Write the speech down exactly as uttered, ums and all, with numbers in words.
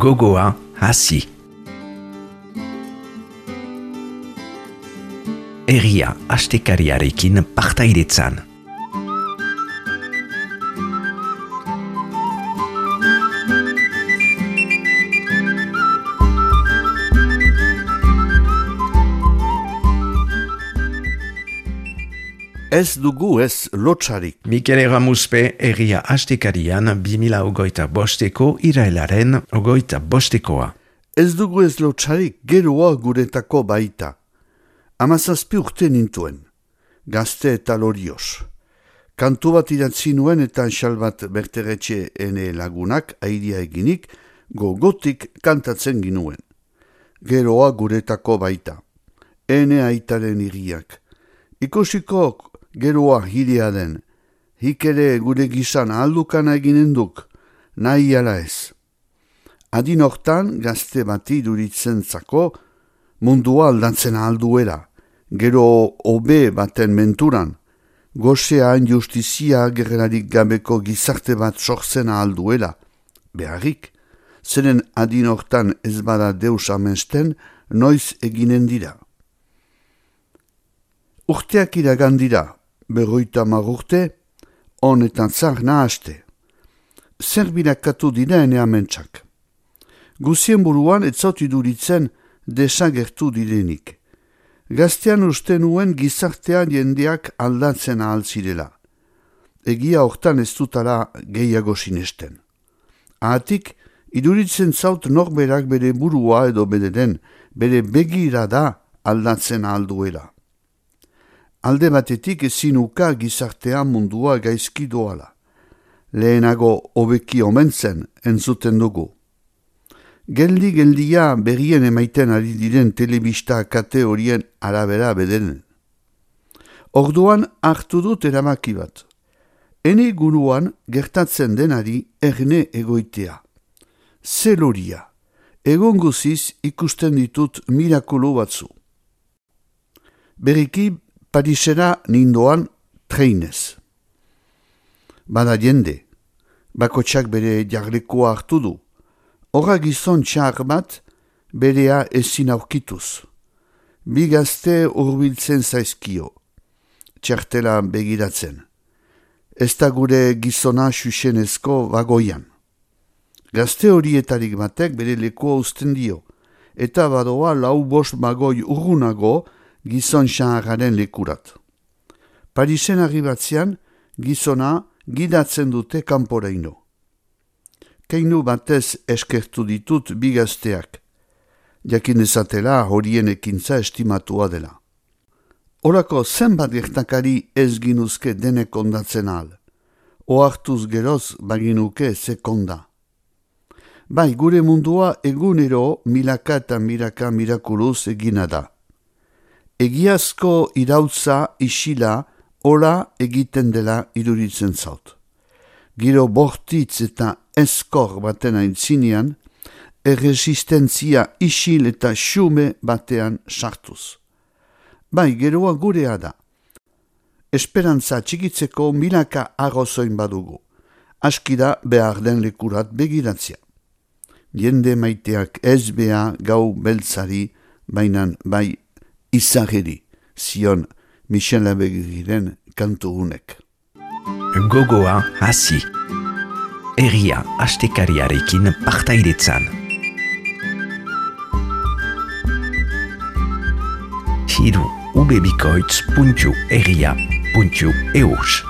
Gogoa hasi. Herria astekariarekin partaidetzan. Ez dugu ez lotsarik. Mikel Erramuspe herria astekarian bi mila hogeita bosteko irailaren hogeita bostekoa. Ez dugu ez lotsarik geroa guretako baita. Hamazazpi urte nintuen, gazte eta lorioz. Kantu bat idatzi nuen eta Xalbat Berteretxe ene lagunak airia eginik gogotik kantatzen ginuen. Geroa guretako baita. Ene aitaren iriak. Ikosiko geroa hiria den, hik ere gure gizan aldukana eginen duk, nahi ala ez. Adin hortan gazte bati duritzen zako, mundua aldatzen alduera, gero obe baten menturan, gozean justizia gerrarik gabeko gizarte bat sortzen alduela, beharrik, zeren adin hortan ez bada deus amesten, noiz eginen dira. Urteak iragan dira, berroita marurte, honetan zar nahaste. Zer birakatu dira ene amentsak. Guzien buruan etzaut iduritzen desagertu direnik. Gaztean uste nuen gizartean jendeak aldatzen ahal zirela. Egia hortan ez dutala gehiago sinesten. Ahatik, iduritzen zaut norberak bere burua edo bederen, bere begira da aldatzen ahal duela. Alde batetik ezin uka gizartea mundua gaizki doala. Lehenago hobeki omentzen entzuten dugu. Geldi-geldia berrien emaiten ari diren telebista kate horien arabera bederen. Orduan hartu dut erabaki bat. Ene guruan gertatzen denari erne egoitea. Zeloria. Egon guziz ikusten ditut mirakulu batzu. Beriki Parisera nindoan treinez. Bada jende, bakotsak bere jarlekoa hartu du. Horra gizon txar bat berea ezin aurkituz. Bi gazte hurbiltzen zaizkio, txartela begiratzen. Ez da gure gizona xuxenezko bagoian. Gazte horietarik batek bere lekoa uzten dio, eta badoa lau bost bagoi urgunago gizon xaharraren lekurat. Parisen arribatzean, gizona gidatzen dute kanporaino. Keinu batez eskertu ditut bi gazteak, jakin ezatela horien ekintza estimatua dela. Horako zenbat gertakari ez ginuzke denek ondatzen ahal, ohartuz geroz baginuke sekonda. Bai, gure mundua egunero milaka eta milaka mirakuluz egina da. Egiazko irautza isila hola egiten dela iruritzen zaut. Giro bortitz eta eskor baten aintzinean, erresistentzia isil eta xume batean sartuz. Bai, geroa gurea da. Esperantza txikitzeko milaka arrozoin badugu. Aski da behar den lekurat begiratzea. Jende maiteak ez beha gau beltzari, bainan bai izageri, zion Michel Abegiren kantu hunek. Gogoa hasi. Herria astekariarekin partaidetzan. Hiru ubebikoitz puntu herria puntu eus